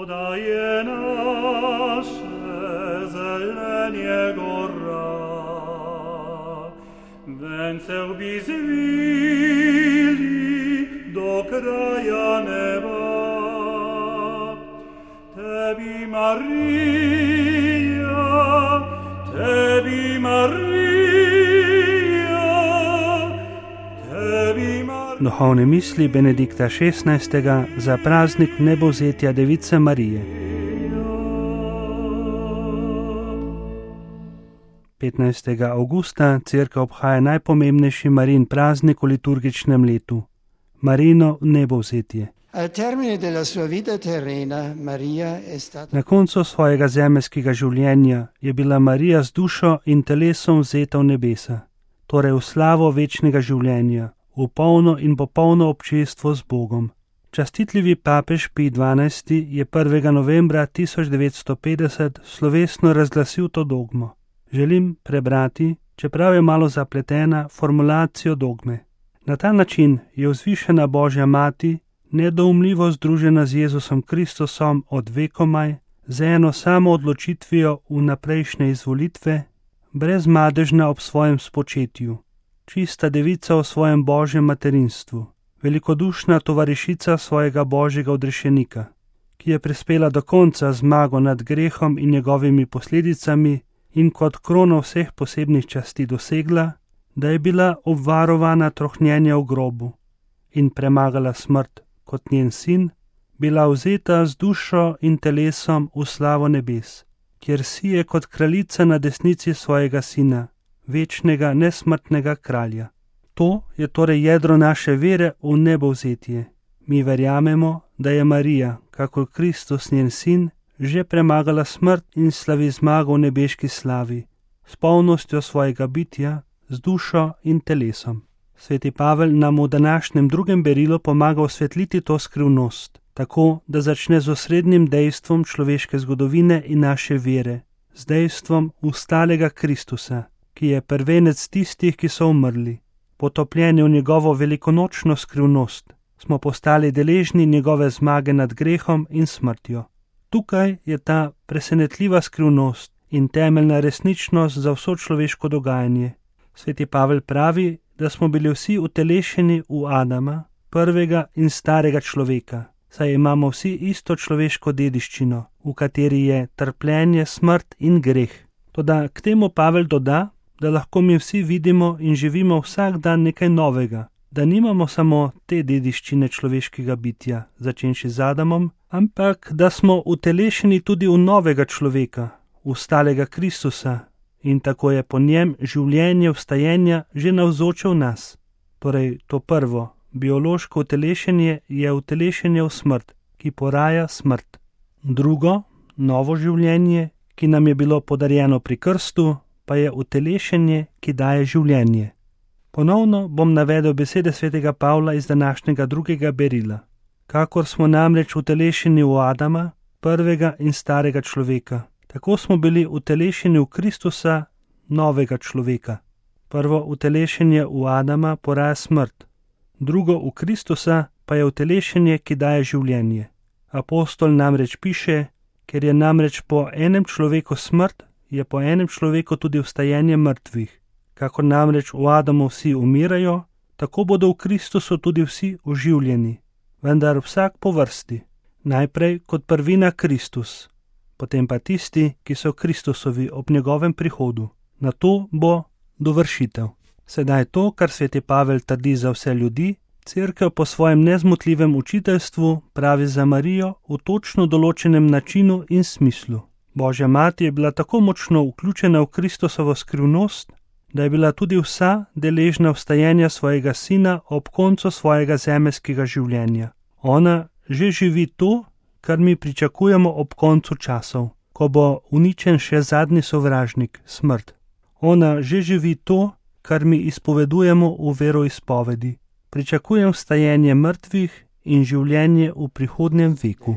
Podaje nasze zelenie gora, węceł by zwili do kraja neba. Tebi Maria, Tebi Maria, Tebi Maria. Duhovne misli Benedikta XVI. Za praznik nebovzetja Device Marije. 15. avgusta cerkev obhaja najpomembnejši Marijin praznik v liturgičnem letu, Marijino nebovzetje. Na koncu svojega zemeljskega življenja je bila Marija z dušo in telesom vzeta v nebesa, torej v slavo večnega življenja, v polno in popolno občestvo z Bogom. Častitljivi papež Pij XII. Je 1. novembra 1950 slovesno razglasil to dogmo. Želim prebrati, čeprav je malo zapletena, formulacijo dogme. Na ta način je vzvišena Božja mati nedoumljivo združena z Jezusom Kristusom od vekomaj, z eno samo odločitvijo vnaprejšnje izvolitve, brezmadežna ob svojem spočetju, čista devica v svojem Božjem materinstvu, velikodušna tovarišica svojega Božjega odrešenika, ki je prispela do konca zmago nad grehom in njegovimi posledicami in kot krono vseh posebnih časti dosegla, da je bila obvarovana trohnjenja v grobu in premagala smrt kot njen sin, bila vzeta z dušo in telesom v slavo nebes, kjer si je kot kraljica na desnici svojega sina, večnega nesmrtnega kralja. To je torej jedro naše vere v nebovzetje. Mi verjamemo, da je Marija, kakor Kristus njen sin, že premagala smrt in slavi zmago v nebeški slavi, s polnostjo svojega bitja, z dušo in telesom. Sveti Pavel nam v današnjem drugem berilu pomaga osvetliti to skrivnost, tako da začne z osrednjim dejstvom človeške zgodovine in naše vere, z dejstvom vstalega Kristusa, ki je prvenec tistih, ki so umrli. Potopljeni v njegovo velikonočno skrivnost, smo postali deležni njegove zmage nad grehom in smrtjo. Tukaj je ta presenetljiva skrivnost in temeljna resničnost za vso človeško dogajanje. Sveti Pavel pravi, da smo bili vsi utelešeni v Adama, prvega in starega človeka, saj imamo vsi isto človeško dediščino, v kateri je trpljenje, smrt in greh. Toda k temu Pavel doda, da lahko mi vsi vidimo in živimo vsak dan nekaj novega, da nimamo samo te dediščine človeškega bitja, začenši z Adamom, ampak da smo utelešeni tudi v novega človeka, v stalega Kristusa, in tako je po njem življenje vstajenja že navzoče v nas. Torej, to prvo, biološko utelešenje je utelešenje v smrt, ki poraja smrt. Drugo, novo življenje, ki nam je bilo podarjeno pri krstu, pa je utelešenje, ki daje življenje. Ponovno bom navedel besede svetega Pavla iz današnjega drugega berila. Kakor smo namreč utelešeni v Adama, prvega in starega človeka, tako smo bili utelešeni v Kristusa, novega človeka. Prvo utelešenje v Adama poraja smrt, drugo v Kristusa pa je utelešenje, ki daje življenje. Apostol namreč piše, ker je namreč po enem človeku smrt, je po enem človeku tudi vstajenje mrtvih. Kakor namreč v Adamu vsi umirajo, tako bodo v Kristusu tudi vsi oživljeni, vendar vsak po vrsti. Najprej kot prvina Kristus, potem pa tisti, ki so Kristusovi ob njegovem prihodu. Na to bo dovršitev. Sedaj to, kar sveti Pavel trdi za vse ljudi, Cerkev po svojem nezmotljivem učiteljstvu pravi za Marijo v točno določenem načinu in smislu. Božja mati je bila tako močno vključena v Kristusovo skrivnost, da je bila tudi vsa deležna vstajenja svojega sina ob koncu svojega zemeljskega življenja. Ona že živi to, kar mi pričakujemo ob koncu časov, ko bo uničen še zadnji sovražnik, smrt. Ona že živi to, kar mi izpovedujemo v veroizpovedi. Pričakujem vstajenje mrtvih in življenje v prihodnjem veku.